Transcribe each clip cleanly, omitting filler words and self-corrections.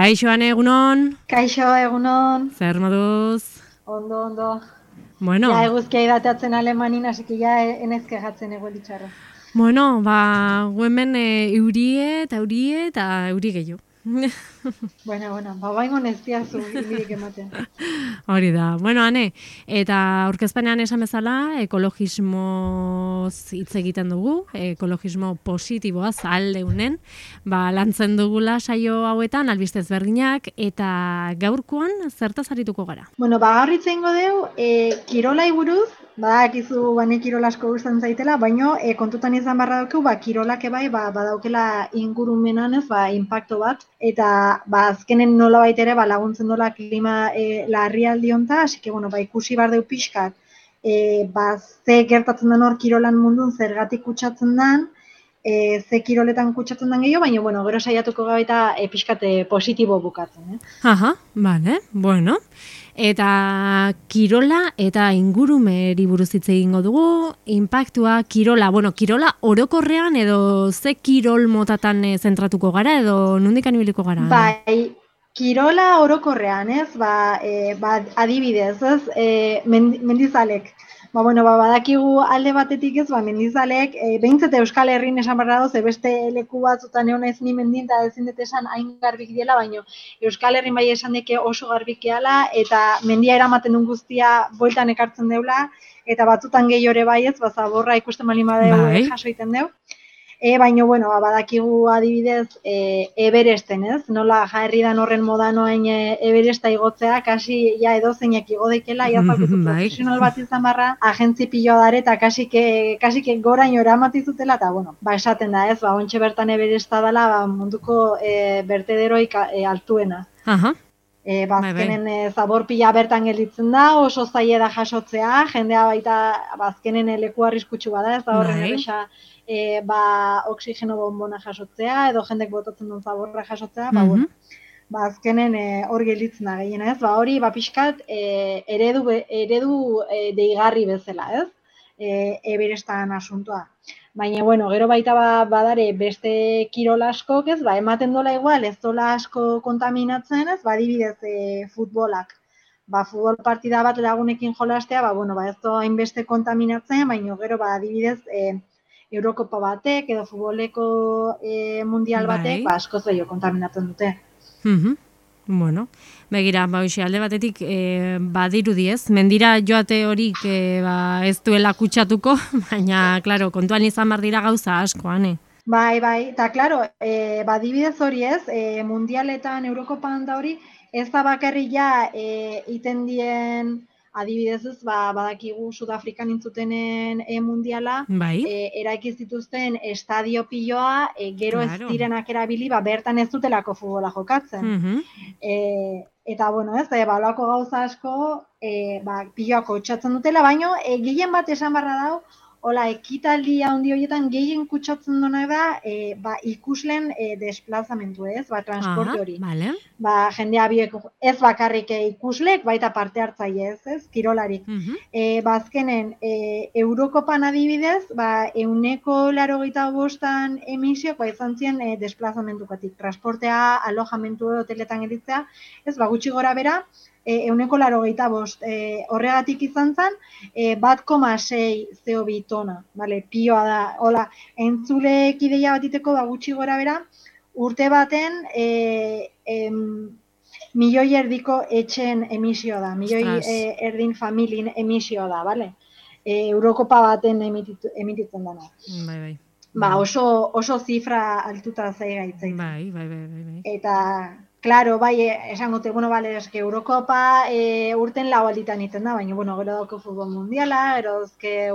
Kaixo, Ane, egunon? Kaixo, egunon. Zer moduz? Ondo. Bueno. Ja, eguzkia idateatzen Alemanin, asiki ja enezke jatzen egoelitxarra. Bueno, gu hemen eurie eta euri gehiago. Bueno, baingon ez diazu imirik ematen. Hori da. Bueno, Ane, eta aurkezpenean esan bezala, ekologismoz hitz egiten dugu, ekologismo positiboaz aldeunen, lantzen dugula saio hauetan, albiste ezberdinak, eta gaurkoan zertaz arituko gara? Bueno, gaur hitz egingo dugu, kirolai buruz, badakizu bane kirol asko gustatzen zaitela, baino kontutan izan barra dauku, kirolak bai badaukela ingurumenan ez, inpakto bat, eta azkenen nolabait ere laguntzen dola klima larrialdi honta, así que bueno, ikusi bar deu pixkat, ze gertatzen den hor kirolan mundun zergatik kutsatzen den, ze kiroletan kutsatzen den gehiago, baina bueno, gero saiatuko gabaita pixkat positibo bukatzen. Aha, bale, bueno. Eta kirola eta ingurumeri buruz hitz egingo dugu, inpaktua, kirola orokorrean edo ze kirol motatan zentratuko gara edo nondik ibiliko gara? Bai, kirola orokorrean, ez? Adibidez, ez? Mendizalek. Badakigu alde batetik ez, mendizalek, behintzat Euskal Herrin esan barra dauz, beste leku batzutan egon ez ni mendin eta ezin dut esan hain garbik diela, baina Euskal Herrin bai esan deke oso garbik diela, eta mendia eramaten duen guztia bueltan ekartzen deula, eta batzutan gehiore bai ez, zaborra ikusten malin badeu jaso egiten deu. Baina, bueno, badakigu adibidez Everesten, ez? Nola jarri dan horren modan oain Everesta igotzea, kasi ja edozeinak igo daikela, iazalkutu profesional bat izan barra, agentzi piloa dare, eta kasike goraino eramatizutela, eta, bueno, esaten da, ez? Ontxe bertan Everesta dela munduko bertederoik altuena. Azkenen zabor pila bertan gelditzen da, oso zaila da jasotzea, jendea baita azkenen leku arriskutsu bada, ez da horren erresa oksigeno bonbona jasotzea, edo jendek botatzen duen zaborra jasotzea, azkenen hor gelditzen da gehiena, ez? Hori, pixkat, eredu deigarri bezala, ez? Everestan asuntoa. Baina, bueno, gero baita badare beste kirol askok, ez? Ematen dola igual, ez dola asko kontaminatzen, ez? Adibidez, futbolak. Futbol partida bat lagunekin jolastea, ez doa hainbeste kontaminatzen, baina gero, adibidez, Eurokopa batek, edo futboleko mundial batek, askoz gehiago kontaminatzen dute. Bueno, begira, alde batetik badirudi ez, mendira joate horik ez duela kutsatuko, baina, klaro, kontuan izan behar dira gauza asko, Ane. Bai, eta, klaro, badibidez hori ez, mundialetan, Eurokopan da hori, ez da bakarri ja iten dien, adibidez ez, badakigu Sudafrikan intzutenen mundiala, eraikiz dituzten estadio piloa, gero ez direnak erabili, bertan ez dutelako futbola jokatzen. Eta, bueno, ez, balako gauza asko, piloak kutsatzen dutela, baino, gehien bat esan barra dau, hola, ekitaldi handi horietan gehien kutsatzen duna da ikusleen desplazamentu, ez? Transporte hori. Jendea biek ez bakarrik ikuslek, baita parte hartzaile, ez? Kirolarik. Azkenen, Eurokopan adibidez, 185 emisiok izan ziren desplazamentukatik. Transportea, alojamentu hoteletan editzea, ez? Gutxi gora bera, 185 horregatik izan zen, 1,6 CO2 tona, pioa da, hola, entzulek ideia bat iteko gutxi gora bera, urte baten milioi erdiko etxen emisioa da, milioi erdin familien emisioa da, bale? Eurokopa baten emititzen dena. Oso zifra altuta zaigaitzen. Eta, klaro, esango te, eske Eurokopa urten lau alditan iten da, baina, gero dauko futbol mundiala, gero dauzke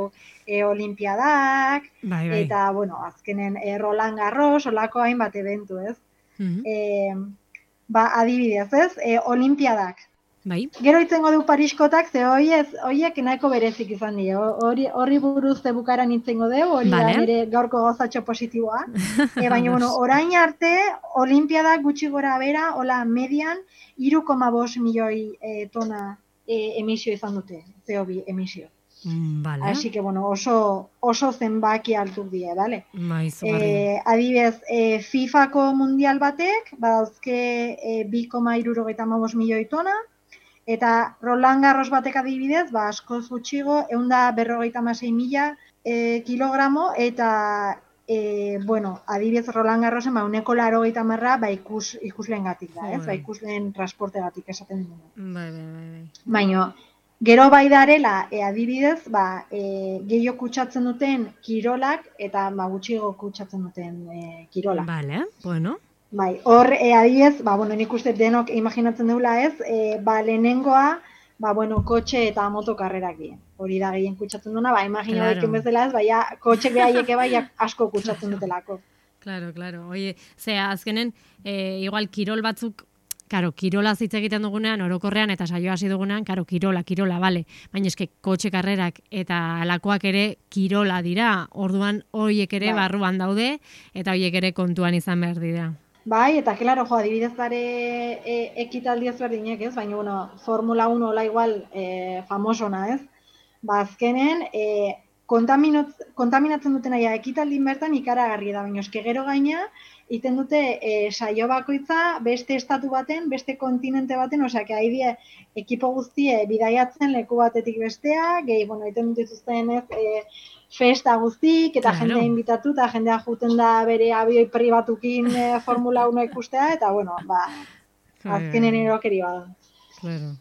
olimpiadak, eta, azkenen Roland Garros, olako hainbat eventu, ez? Adibidez, ez? Olimpiadak. Gero itzengo du Pariskotak, ze horiek nahiko berezik izan dira. Horri buruz bukaran itzengo dugu, hori da nire gaurko gozatxo positiboa. Baina, orain arte, Olimpiadak gutxi gora bera, hola, median, 3,5 milioi tona emisio izan dute, CO2 emisio. Vale. Así que, bueno, oso zenbaki altuk die, bale? Izugarri. Adibidez, FIFako mundial batek, badauzke 2,75 milioi tona, eta Roland Garros batek adibidez, askoz gutxigo, 156.000 kilogramo, eta bueno, adibidez Roland Garrosen, uneko 80 ikusleengatik da, ez? Ikusleen transportegatik esaten dugu. Bai. Baina, gero bai darela, adibidez, gehiago kutsatzen duten kirolak eta gutxiago kutsatzen duten kirolak. Vale, bueno. Bai, hor, adibidez, bueno, nik uste denok imaginatzen dugula ez, lehenengoa, bueno, kotxe eta motokarrerak dien. Hori da gehien kutsatzen duna, imagina daiken bezala ez, kotxek behaieke asko kutsatzen dutelako. Claro. Oie, azkenen, igual kirol batzuk, karo, kirola hitz egiten dugunean, orokorrean, eta saio hasi dugunean, karo, kirola, bale. Baina eske, kotxe karrerak eta alakoak ere kirola dira. Orduan, horiek ere barruan daude, eta horiek ere kontuan izan behar dira. Bai, eta klaro, adibidez bare ekitaldi ezberdinek, ez? Baina, bueno, Formula 1 hola igual famosona, ez? Azkenen, kontaminatzen duten aia ekitaldin bertan ikaragarri da, baina eske gero gaina, iten dute saio bakoitza beste estatu baten, beste kontinente baten, osea, haidie ekipo guztie bidaiatzen leku batetik bestea, gehi, bueno, iten dut dituzten ez, festa guztik, eta jendea inbitatu, eta jendea juten da bere abioi pribatukin Formula 1 ikustea, eta, bueno, azkenen erokeri bada. Claro.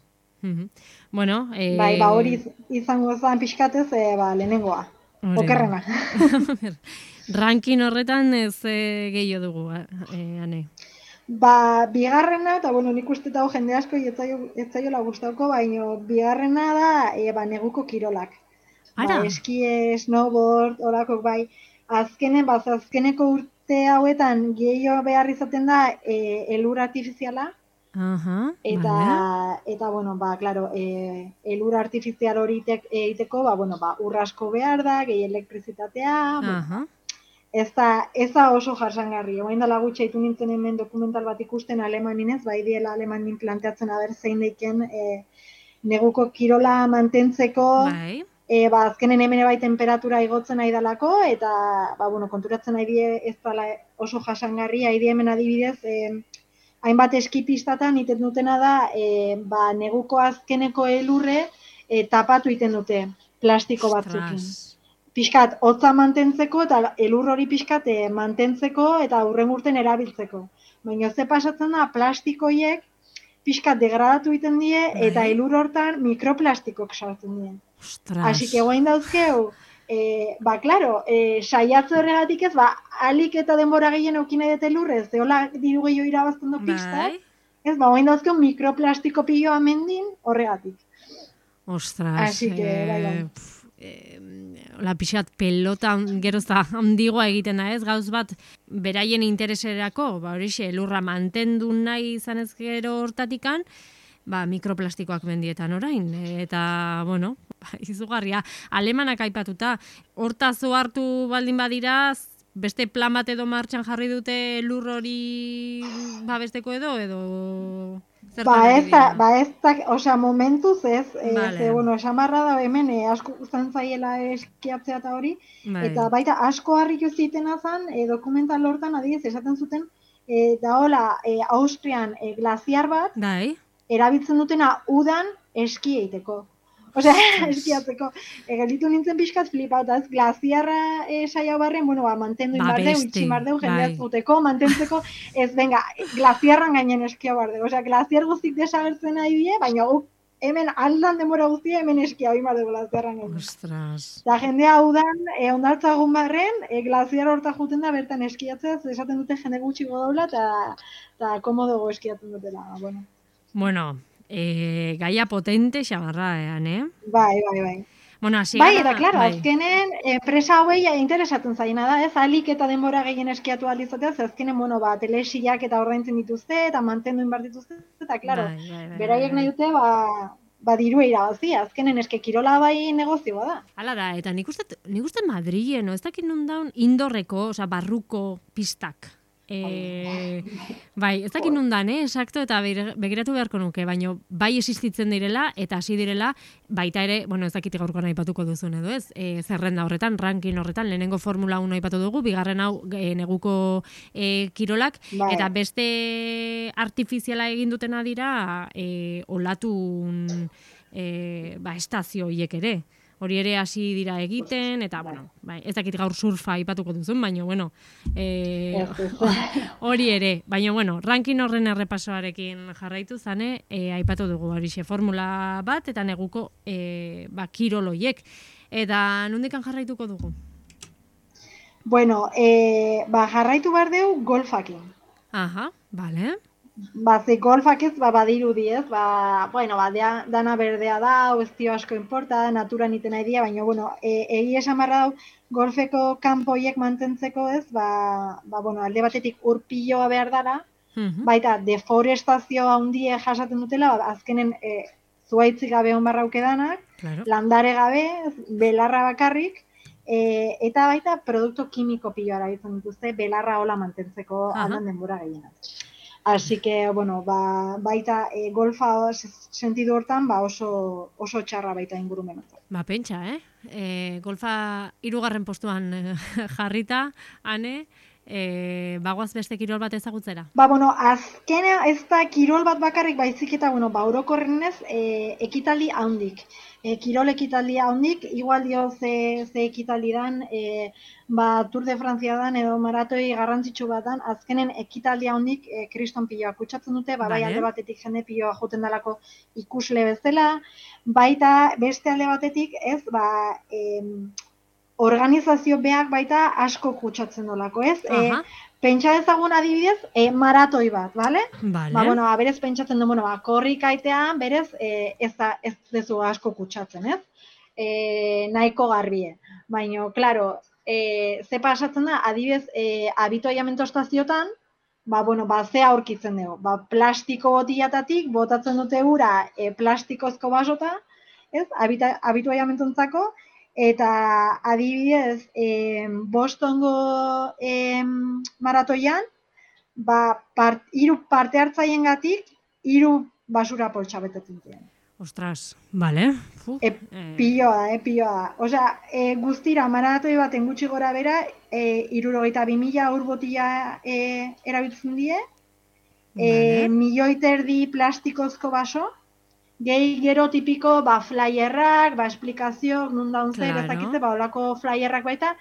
Bueno, bai, hori izango zen pixkatez, lehenengoa. Okerrena. Rankin horretan ez gehiago dugu, Ane? Bigarrena, eta bueno, nik uste eta jende asko etzaiola gustauko, baina bigarrena da neguko kirolak. Eskie, snowboard, horakok bai. Azkeneko urte hauetan gehiago behar izaten da elur artifiziala. Eta bueno, claro, elur artifizial hori egiteko, ur asko behar da, gehi elektrizitatea, ez da oso jasangarri. Oain dela gutxe haitu nintzen hemen dokumental bat ikusten alemaninez, bai diela alemanin planteatzen aber zein deiken neguko kirola mantentzeko, azkenen hemen bai temperatura igotzen nahi dalako, eta konturatzen nahi die ez dela oso jasangarri, nahi die hemen adibidez, hainbat eskipistatan iten dutena da, neguko azkeneko elurre tapatu iten dute plastiko batzukin. Piskat, hotza mantentzeko eta elur hori piskat mantentzeko eta hurren urten erabiltzeko. Baina ze pasatzen da, plastikoiek piskat degradatu iten die eta elur hortan mikroplastikok sartzen die. Asi que guain dauzkeu, claro, saiatze horregatik ez, alik eta denbora gehien eukina dut elurrez, hola diru gehiago irabazten du pistak, ez, guain dauzkeu mikroplastiko piloa mendin horregatik. Ostras, Asi que, la pixat pelota gerozta handigoa egiten da ez, gauz bat beraien intereserako, horixe, elurra mantendu nahi izan ez gero hortatikan, mikroplastikoak mendietan orain, eta, bueno, izugarria, alemanak aipatuta, hortaz hartu baldin badira, beste plan bat edo martxan jarri dute lur hori babesteko edo osea, momentuz ez, bueno, esamarra da hemen asko guztan zaiela eskiatzea eta hori, eta baita asko harritu zitena zen, dokumental hortan adibidez esaten zuten, da hola, Austrian glaziar bat, erabiltzen dutena udan eski egiteko. Osea, eskiatzeko. Gelitu nintzen pixkat flipauta, ez glaziarra saia barren, mantendu inbardeu, itximardeu, jendeaz zuteko, mantentzeko, ez, venga, glaziarran gainen eskia bardeu. Osea, glaziar guztik desagertzen nahi die, baina hemen aldan demora guztia hemen eskia bardeu glaziarran gainen. Ostras. Da jendea udan, ondartzagun barren, glaziar horta juten da bertan eskiatzea, esaten dute jende gutxiko daula, eta komodogo eskiatzen dutela, bueno. Bueno, gaia potente xamarra, Bai. Bueno, eta klaro, azkenen enpresa hauei interesatzen zaina da, ez, alik eta denbora gehien eskiatu alizatea, azkenen, telesiak eta ordaintzen dituzte, eta mantendu inbar dituzte, eta klaro, beraiek nahi dute, dirua irabazi, azkenen eske kirola bai negozioa da. Hala da, eta nik uste Madrilen, ez dakit nun daun, indorreko, barruko pistak. bai, ez dakit nundan, exacto, eta begiratu beharko nuke, baina bai existitzen direla, eta hasi direla, baita ere, bueno, ez dakit gaurkoan aipatuko duzun edo ez, zerrenda horretan, ranking horretan, lehenengo Formula 1 aipatu dugu, bigarren hau neguko kirolak, Bai. eta beste artifiziala egin dutena dira, olatun estazio hiek ere. Hori ere hasi dira egiten, eta, bueno, bai, ez dakit gaur surfa aipatuko duzun, baina, bueno, hori ere. Baina, bueno, ranking horren errepasoarekin jarraitu zane, aipatu dugu horixe formula bat, eta neguko kiroloiek. Eta nondikan jarraituko dugu? Bueno, jarraitu behar dugu golfakin. Aha, bale. Ze golfak ez, badirudi ez, dana berdea da, ez dio asko importa, naturan iten nahi dia, baina, bueno, egia esan barra dau, golfeko kanpoiek mantentzeko ez, alde batetik urpiloa behar dara, baita deforestazio handie jasaten dutela, azkenen zuaitzik gabe hon barrauke danak, landare gabe, belarra bakarrik, eta baita produktu kimiko piloa erabiltzen dituzte, belarra hola mantentzeko aldan denbora gehienak. Así que, bueno, baita golfa sentidu hortan oso txarra baita ingurumenatzen. Pentsa, golfa 3. postuan jarrita, Ane, bagoaz beste kirol bat ezagutzera? Azkena ez da kirol bat bakarrik baizik eta, orokorrenez ekitaldi handik. Kirol ekitaldi handik, igual dio ze ekitaldi dan, Tour de Francia dan edo maratoi garrantzitsu bat dan, azkenen ekitaldi handik kriston piloa kutsatzen dute, bai alde batetik jende piloa joten dalako ikusle bezala, baita beste alde batetik ez, organizazio beak baita asko kutsatzen dolako, ez? Pentsa dezagun adibidez, maratoi bat, bale? Berez pentsatzen du, korrikaitean, berez ez dezu asko kutsatzen, ez? Nahiko garbie. Baina, klaro, ze pasatzen da, adibidez, abituaiamento estaziotan, ze aurkitzen dugu. Plastiko botilatatik, botatzen dute ura plastikozko basota, ez? Abituaiamentontzako, eta adibidez, Bostongo maratoian, 3 parte hartzaien gatik, 3 basura poltsa betetzen ziren. Ostras, bale. Piloa. Osea, guztira maratoi baten gutxi gora bera, 62.000 ur botila erabiltzen die, 1,5 milioi plastikozko baso, gehi gero tipiko flyerrak, esplikazio, nun daun zer, ezakitze, olako flyerrak baita,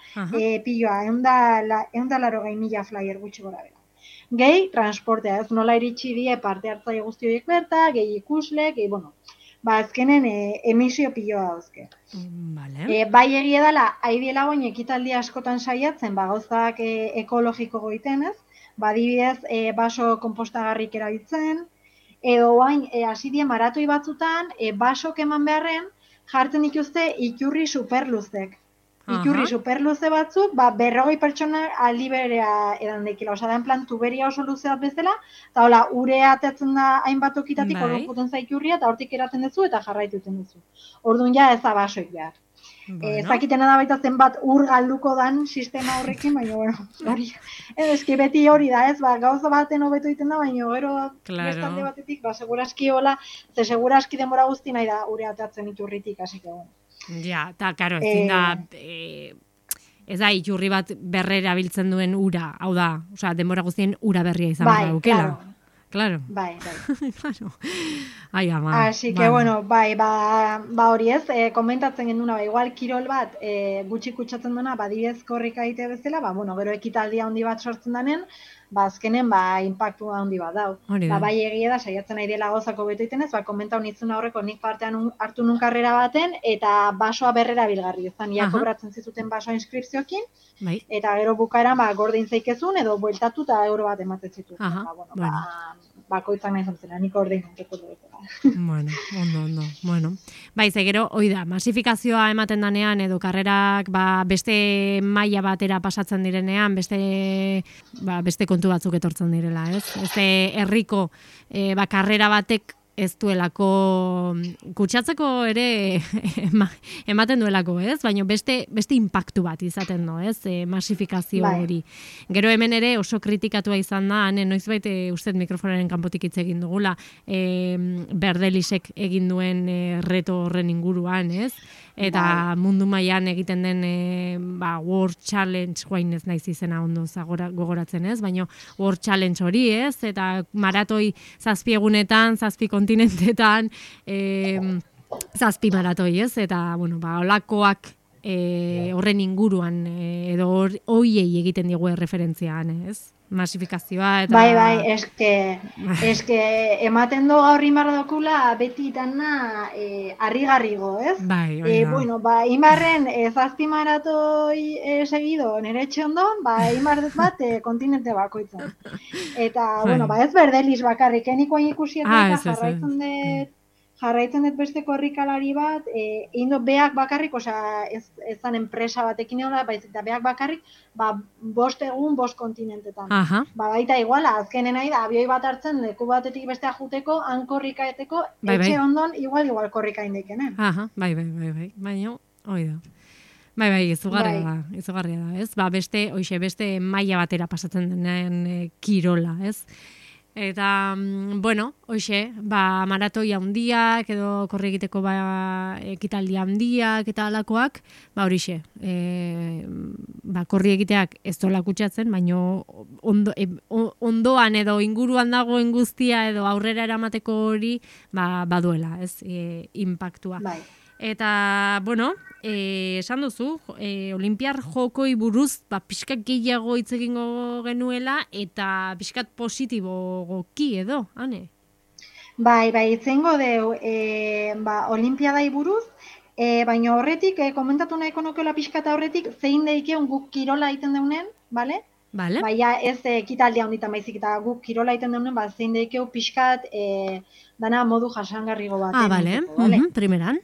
piloa, 180.000 flyer gutxi gora bera. Gehi, transportea, ez nola iritsi die parte hartzaile guzti horiek berta, gehi ikusle, gehi, azkenen emisio piloa dauzke. Bai egia dela, haidiela goin ekitaldi askotan saiatzen, gauzak ekologiko goiten ez, adibidez, baso konpostagarrik erabiltzen, edo bain, hasi die maratoi batzutan, basok eman beharren, jartzen dituzte iturri superluzek. Iturri superluze batzuk, 40 pertsona aldi berea edan dekila. Osa da, en plan, tuberia oso luze bat bezala, eta hola, urea ateatzen da hainbat okitatik, orduan juten zaiturria, eta hortik eraten duzu, eta jarraituten duzu. Orduan ja ez da basoik behar. Ezakitena da baita zenbat ur galduko dan sistema horrekin, baina, hori, eski beti hori da, ez, gauza baten hobeto egiten da, baina gero bestalde batetik, seguraski hola, seguraski denbora guzti nahi da ure ateatzen iturritik, hasi que, Ja, eta, karo, ezin da, ez da, iturri bat berrera biltzen duen ura, hau da, osea, denbora guztien ura berria izan behar daukela. Claro. Bai. Claro. Ai, ama. Así que, bueno, hori ez, komentatzen genduna, igual kirol bat gutxi kutsatzen duena, adibidez korrika egitea bezala, gero ekitaldia handi bat sortzen danen, azkenen, impactu handi bat dau. Bai egia da, saiatzen nahi dela gozako beto iten ez, komentau nitzun aurreko nik partean hartu nun karrera baten, eta basoa berrera bilgarri, ezan, ia kobratzen zizuten basoa inskripziokin, eta gero bukaeran, gordein zeikezun, edo bueltatu eta euro bat ematen zituen. Bakoitzak nahi zontzena, nik ordein onteko dugu. Bueno. Ze gero, hoi da, masifikazioa ematen danean, edo karrerak beste maila batera pasatzen direnean, beste kontu batzuk etortzen direla, ez? Herriko karrera batek ez duelako kutsatzeko ere ematen duelako, ez? Baina beste inpaktu bat izaten du, ez? Masifikazio hori. Gero hemen ere oso kritikatua izan da, noizbait uste mikrofonaren kanpotik hitz egin dugula, Berdelisek egin duen reto horren inguruan, ez? Eta mundu mailan egiten den World Challenge, guain ez naiz izena ondo gogoratzen, ez? Baina World Challenge hori, ez? Eta maratoi 7 egunetan, 7 kontinentetan, 7 maratoi, ez? Eta, olakoak horren inguruan, edo hoiei egiten digu referentziaan, ez? Masifikazioa eta... Bai, eske ematen do gaur imarra dokula beti itana harrigarrigo, ez? Bai, imarren 7 maratoi seguido nere etxe ondon, imar bat kontinente bakoitzan. Eta, ez Berdelis bakarrik, enikoain ikusiet eta jarraitzen dut beste korrikalari bat, egin dut beak bakarrik, ez zan enpresa batekin edo da, eta beak bakarrik, 5 egun 5 kontinentetan. Baita iguala, azkenen nahi da, abioi bat hartzen, leku batetik bestea juteko, han korrikaeteko, etxe ondon, igual korrika indekenen. Bai, baina, hoi da. Bai, izugarria da, ez? Beste maila batera pasatzen denean kirola, ez? Eta, maratoi handiak, edo korri egiteko ekitaldi handiak eta alakoak, horixe, korri egiteak ez dola kutsatzen, baina ondoan edo inguruan dagoen guztia edo aurrera eramateko hori, baduela, ez, inpaktua. Bai. Eta, esan duzu, Olimpiar jokoi buruz, pixkat gehiago hitz egingo genuela, eta pixkat positibogoki edo, ane? Bai, hitz egingo deu, Olimpiadai buruz, baina horretik, komentatu nahiko nukeola pixkat horretik, zein deikeun guk kirola egiten deunen, bale? Vale. Baina ez ekitaldia honditan baizik eta guk kirola egiten deunen, zein deikeu pixkat dana modu jasangarrigo bat. Bale, primeran.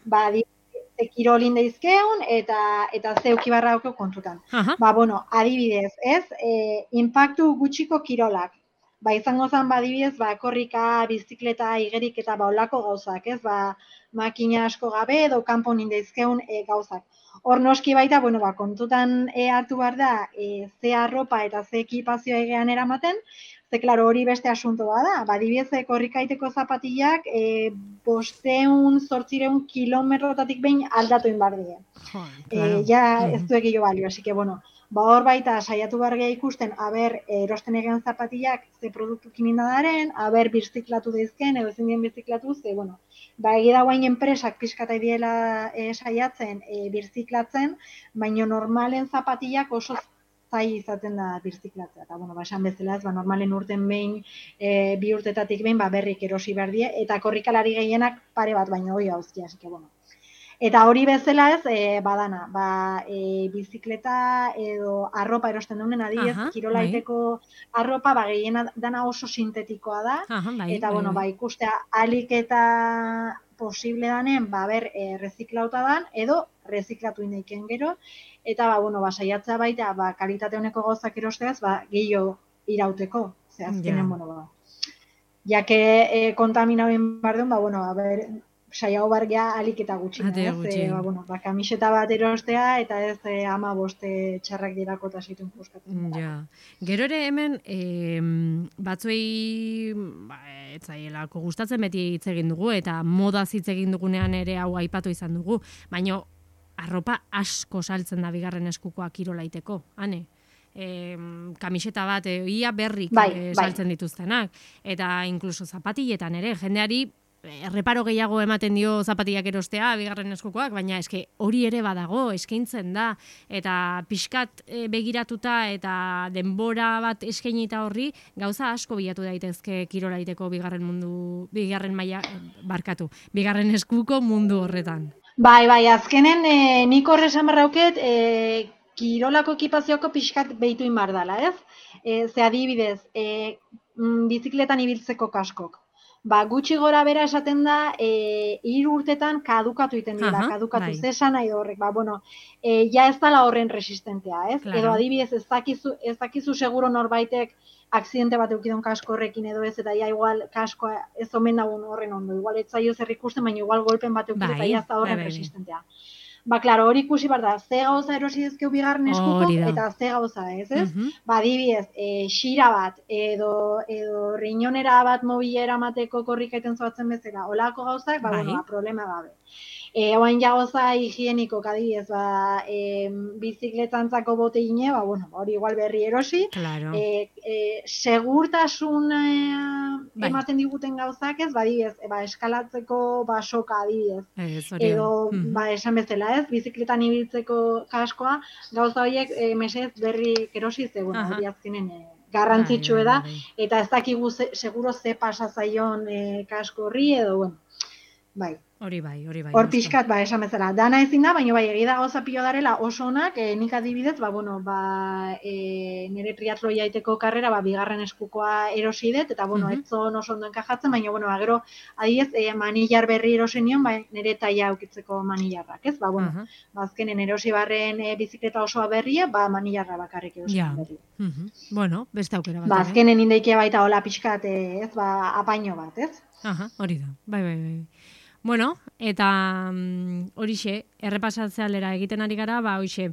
Kirolin daizkeun eta zeuki barra daukeu kontutan. Adibidez, ez? Inpaktu gutxiko kirolak. Izango zen, adibidez, korrika, bizikleta, igerik eta olako gauzak, ez? Makina asko gabe edo kanpon indaizkeun gauzak. Hor noski baita, kontutan hartu behar da, ze arropa eta ze ekipazioa egean eramaten, ze, klaro, hori beste asuntoa da. Adibidez, korrikaiteko zapatillak 500-800 kilometrotatik behin aldatu inbar die. Ez du egillo balio, así que, hor baita saiatu bargea ikusten, erosten egean zapatillak ze produktukin indadaren, birziklatu daizken, edo ezin dien birziklatu, ze, egida guain enpresak pixkata idiela saiatzen birziklatzen, baina normalen zapatillak oso zai izaten da birziklatzea. Eta, esan bezala ez, normalen urten behin, 2 urtetatik behin, berrik erosi behar die, eta korrikalari gehienak pare bat baino hoi hauzkia, así que, Eta hori bezala ez, badana, bizikleta edo arropa erosten duenen, adibidez, kirolaiteko arropa, gehiena dana oso sintetikoa da, eta, ikustea alik eta posible danen, reziklauta dan, edo reziklatu indeiken gero, eta, saiatzea baita, kalitate honeko gauzak erosteaz, gehiago irauteko, ze azkenen, jake kontaminauen bardeun, saiago bargea alik eta gutxina, ez? Kamiseta bat erostea eta ez 15 txarrak dirako eta zituen puskatzen. Gero ere hemen, batzuei etzaielako gustatzen beti hitz egin dugu, eta modaz hitz egin dugunean ere hau aipatu izan dugu, baina arropa asko saltzen da bigarren eskukoa kirolaiteko, ane? Kamiseta bat, ia berrik saltzen dituztenak, eta inkluso zapatilletan ere, jendeari erreparo gehiago ematen dio zapatillak erostea, bigarren eskukoak, baina eske hori ere badago, eskaintzen da, eta pixkat begiratuta eta denbora bat eskainita horri, gauza asko bilatu daitezke kirolaiteko bigarren eskuko mundu horretan. Bai, azkenen nik horre esan barrauket, kirolako ekipazioko pixkat behitu inbar dala, ez? Ze adibidez, bizikletan ibiltzeko kaskok. Gutxi gora bera esaten da, 3 urtetan kadukatu egiten dira, kadukatu, bai. ze esan nahi da horrek, ja ez dala horren resistentea, ez? Edo Claro. adibidez, ez dakizu seguro norbaitek akzidente bat eukidon kasko horrekin edo ez, eta ja igual kaskoa ez omen dagoen horren ondo, igual ez zaio zer ikusten, baina igual golpen bat eukid eta ja ez da horren resistentea. Claro, hori ikusi behar da, ze gauza erosi dezkeu bigarren eskuko, eta ze gauza ez, ez? Adibidez, xira bat, edo riñonera bat mobilera mateko korrikaiten zoatzen bezala, olako gauzak, problema gabe. Oain jagoza higieniko, adibidez, bizikletantzako botegine, hori igual berri erosi, segurtasun ematen diguten gauzak ez, adibidez, eskalatzeko soka adibidez, edo, esan bezala ez, bizikletan ibiltzeko kaskoa, gauza horiek mesez berri erosi zegoen, hori azkenen garrantzitsue da, eta ez dakigu seguro ze pasa zaion kasko horri, edo, bai. Hori bai. Hor pixkat, esan bezala. Dana ezin da, baina egi da gauza pilo darela oso onak, nik adibidez, nire triatlo jaiteko karrera, bigarren eskukoa erosi dut, eta, ez zon oso ondo enkajatzen, baina, gero, adibidez, manillar berri erosi nion, nire taia aukitzeko manillarrak, ez? Azkenen erosi barren biziketa osoa berria, manillarra bakarrik erosi berri. Bueno, beste aukera bat. Azkenen indeikia baita hola pixkat, ez? Apaino bat, ez? Hori da, bai. Bueno, eta horixe, errepasatzea aldera egiten ari gara, horixe,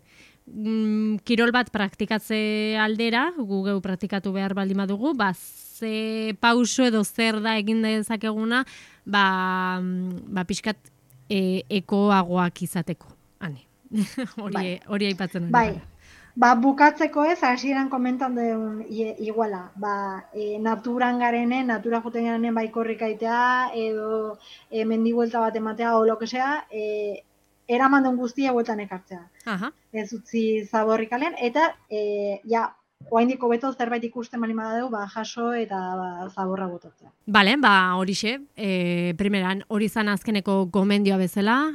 kirol bat praktikatze aldera, gu geu praktikatu behar baldin badugu, ze pauso edo zer da egin dezakeguna, pixkat ekoagoak izateko. Hori aipatzen ari gara. Bukatzeko ez, hasieran komentan duen iguala, naturan garenen, natura joten garenen korrikaitea, edo mendibuelta bat ematea, o lo que sea, eraman duen guztia bueltan ekartzea. Ez utzi zaborrik alen, eta oaindiko beto zerbait ikusten bali madadeu, jaso eta zaborra botatzea. Bale, horixe, primeran, hori zan azkeneko gomendioa bezala,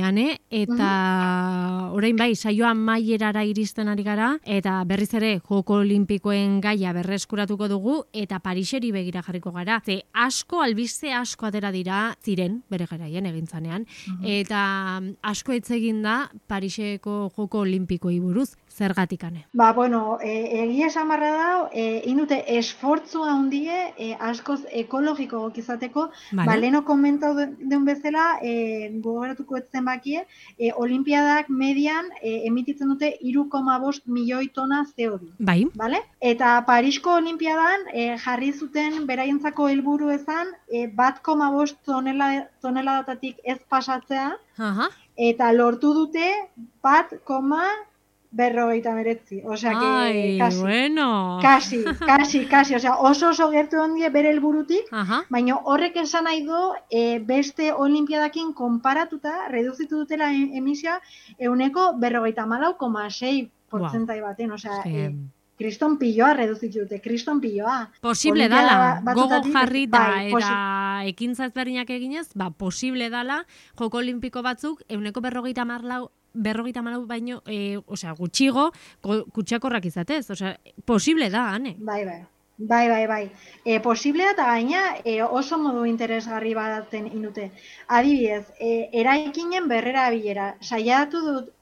Ane, eta orain saioa maierara iristen ari gara, eta berriz ere Joko Olimpikoen gaia berreskuratuko dugu, eta Pariseri begira jarriko gara. Ze albiste asko atera dira, ziren, bere garaien egintzanean, eta asko etzegin da Pariseko Joko Olimpikoei buruz, zergatik, Ane? Egia esan barra da, indute esfortzu handie askoz ekologiko izateko, leheno komentau den bezala, gogoratuko etzen bakie, olimpiadak median emititzen dute 3,5 milioi tona CO2. Bai. Eta Parisko olimpiadan jarri zuten beraientzako helburu ezan, 1,5 toneladatik ez pasatzea, eta lortu dute 1,59. Osea, kasi, oso gertu ondie bere helburutik, baina horrek esan nahi du beste olimpiadakin konparatuta reduzitu dutela emisioa 54,6% baten, osea, kriston piloa reduzitu dute, kriston piloa. Posible dala, gogo jarrita eta ekintza ezberdinak eginez, posible dala, Joko Olimpiko batzuk 54 baino, gutxigo, kutsakorrak izatez, posible da, Ane? Bai. Posible da, eta gaina oso modu interesgarri baten indute. Adibidez, eraikinen berrera bilera, saiatu dut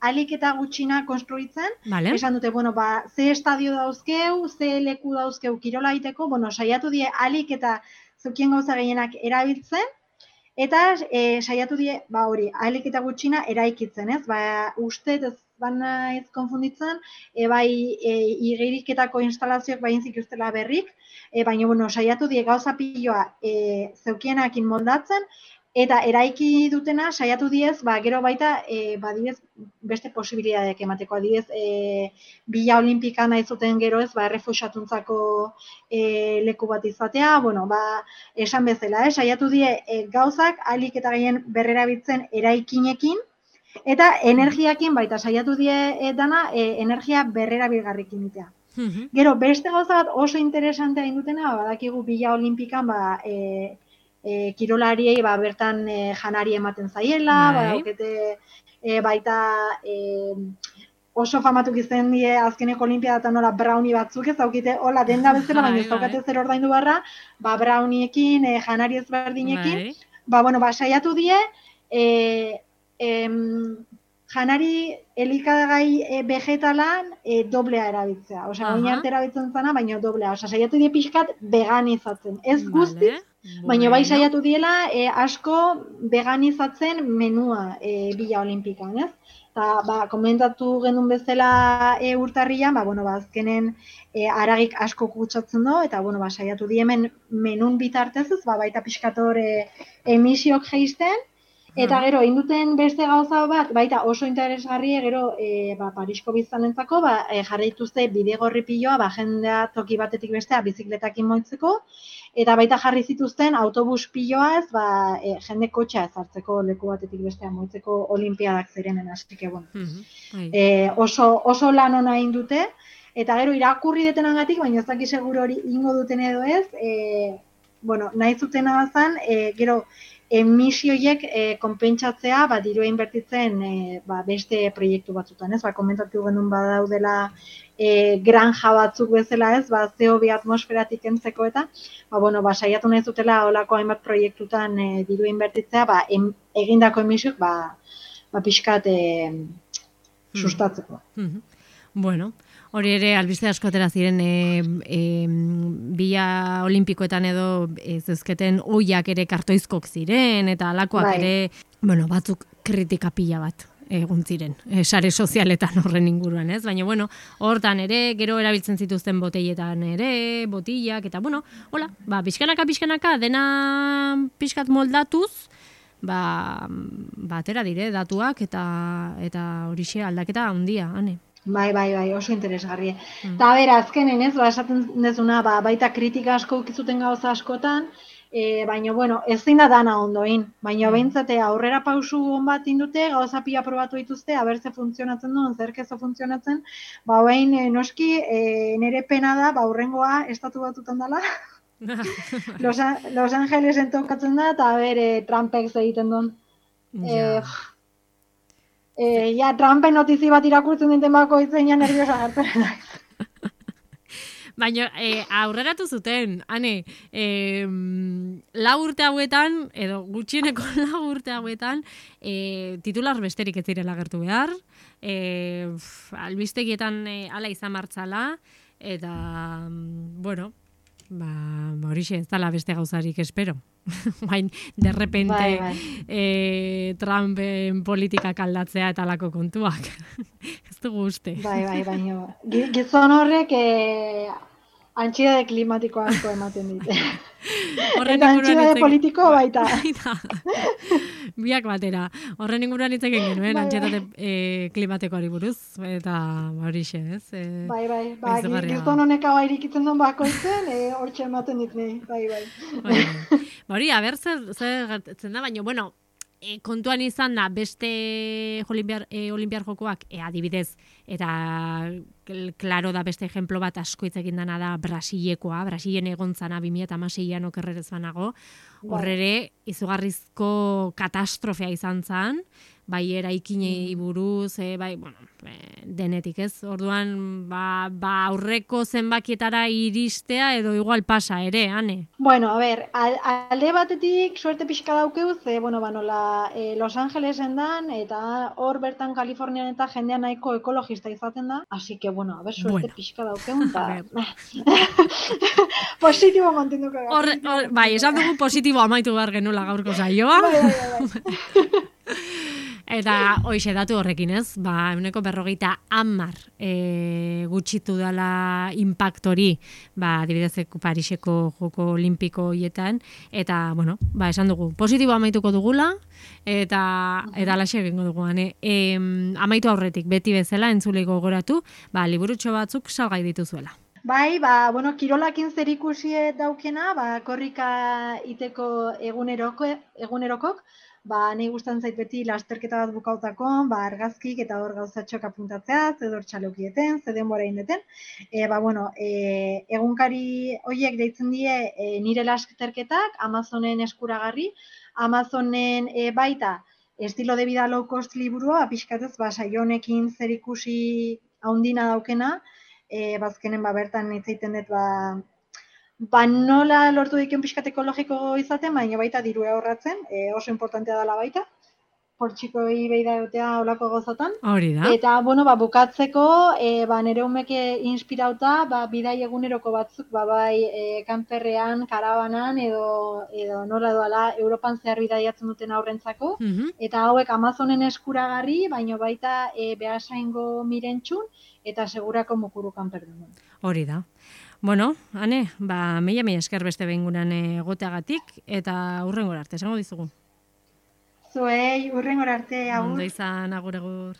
alik eta gutxina konstruitzen, esan dute, ze estadio dauzkeu, ze leku dauzkeu kirola egiteko, saiatu alik eta zukien gauza gehienak erabiltzen, eta saiatu alik eta gutxina eraikitzen, ez? Uste ez ez konfunditzen, igiriketako instalazioak bainzik ustela berrik, baina, saiatu gauza piloa zeukienakin moldatzen, eta eraiki dutena saiatu gero baita, beste posibilidadeak emateko, Bila Olimpikan nahi zuten gero ez, errefuxatuntzako leku bat izatea, esan bezala, saiatu gauzak alik eta gehien berrerabiltzen eraikinekin, eta energiakin baita saiatu dana energia berrerabilgarrikin itea. Gero, beste gauza bat oso interesantea indutena, badakigu Bila Olimpikan kirolariei bertan janari ematen zaiela, badaukete baita oso famatuk izan die azkeneko olimpiadatan nola brownie batzuk ez daukite, hola denda bezala, baina ez daukate zer ordaindu barra, ba brownieekin, janari ezberdinekin, bueno, saiatu die, janari elikagai vegetalan doblea erabiltzea. Osea, oin arte erabiltzen zana, baina doblea. Osea, saiatu die pixkat veganizatzen. Ez guztiz, baina bai saiatu diela asko veganizatzen menua Bila Olimpikan, ez? Eta, komentatu genuen bezala urtarrian, azkenen haragik asko kutsatzen du, eta, saiatu di hemen menun bitartez ez, baita pixkator emisiok jeisten, eta gero, induten beste gauza bat, baita oso interesgarri, gero, Parisko biztanentzako, jarri dituzte bidegorri piloa, jendea toki batetik bestea bizikletakin moitzeko, eta baita jarri zituzten autobus piloa ez, jende kotxa ezartzeko leku batetik bestea moitzeko olimpiadak zirenen, hasik egon. Oso lan ona egin dute, eta gero irakurri detenagatik, baina ez daki seguro hori ingo duten edo ez, nahi zutena bazan, gero, emisioiek konpentsatzea, dirua inbertitzen beste proiektu batzutan, ez? Komentatu genuen badaudela granja batzuk bezala, ez? CO2 atmosferatik kentzeko eta, saiatu nahi zutela holako hainbat proiektutan dirua inbertitzea, egindako emisioik, pixkat sustatzeko. Bueno, hori ere, albiste asko atera ziren Bila Olimpikoetan edo zezketen oiak ere kartoizkok ziren, eta alakoak ere, batzuk kritika pila bat egun ziren, sare sozialetan horren inguruan, ez? Baina, hortan ere, gero erabiltzen zituzten boteietan ere, botillak, eta, hola, pixkanaka, dena pixkat moldatuz, atera dire datuak, eta horixe aldaketa handia, ane. Bai, oso interesgarri. Eta bera, azkenen ez, esaten dezuna, baita kritika asko ukizuten gauza askotan, baina, ezin da dana ondoin. Baina, behintzate, aurrera pausu hon bat indute, gauza pila probatu dituzte, abertze funtzionatzen duen, zerkezo funtzionatzen, behin, noski, nire pena da, aurrengoa estatu batutan dela, Los Angelesen tokatzen da, eta bere Trumpek egiten duen. Trumpen notizi bat irakurtzen dinten bako itzeinan nerviosa gartzen naiz. Baina, aurreratu zuten, ane, 4 urte hauetan, edo gutxieneko 4 urte hauetan, titular besterik ez direla agertu behar, albistegietan ala izan martzala, eta, horixe ez dala beste gauzarik espero. Bain, de repente Trumpen politikak aldatzea eta alako kontuak. Ez dugu uste. Baina. Gizon horrek antxidade klimatiko asko ematen dite. Eta antxidade politiko baita. Biak batera. Horren inguruan hitz egin genuen, antxidade klimatikoari buruz. Eta horixe, ez? Gizon honek hau irikitzen duen bakoitzen, hortxe ematen dit nahi. Bai. Hori, aber zer gertatzen da, baina, kontuan izan da beste olimpiar jokoak, adibidez, eta klaro da beste ejemplo bat asko hitz egin dana da Brasilekoa, Brasilen egon zana 2016an okerrerez banago, horrere izugarrizko katastrofea izan zan, bai eraikinei buruz, denetik ez. Orduan, aurreko zenbakietara iristea edo igual pasa ere, ane? Bueno, a ber, alde batetik suerte pixka daukeu, nola Los Angelesen dan, eta hor bertan Kalifornian eta jendea nahiko ekologista izaten da, así que, a ber, suerte pixka daukeu, eta positibo mantenduko gara. Bai, esan dugu positibo amaitu behar genuela gaurko saioa. Bai. Eta hoxe datu horrekin ez, 50% gutxitu dela impactori, adibidez Pariseko joko olimpiko hietan, eta, esan dugu, positibo amaituko dugula, eta alaxe egingo dugu, amaitu aurretik, beti bezala, entzuleiko gogoratu, liburutxo batzuk salgai dituzuela. Bai, kirolakin zerikusi daukena, korrika iteko egunerokok, nahi gustan zait beti lasterketa bat bukautako, argazkik eta hor gauzatxok apuntatzea, zedor txalokieten, zeden bora indeten. Egunkari horiek deitzen die nire lasterketak, Amazonen eskuragarri, Amazonen baita estilo de vida low cost liburua, pixkatez, saio honekin zer ikusi haundina daukena, bazkenen bertan hitz egiten dut, nola lortu diken pixkat ekologiko izaten, baina baita diru ahorratzen, oso importantea dela baita, portxikoi beida egotea olako gozotan. Hori da. Eta, bukatzeko, nire umeke inspirauta, bidai eguneroko batzuk, kanperrean, karabanan, edo nola doala, Europan zehar bidaiatzen duten aurrentzako, eta hauek Amazonen eskuragarri, baina baita behasaingo mirentxun, eta segurako mukuru kanperdun. Hori da. Bueno, Ane, mila esker beste behingunan egoteagatik, eta hurrengora arte, esango dizugu. Zuei, hurrengora arte, agur. Ondo izan, agur.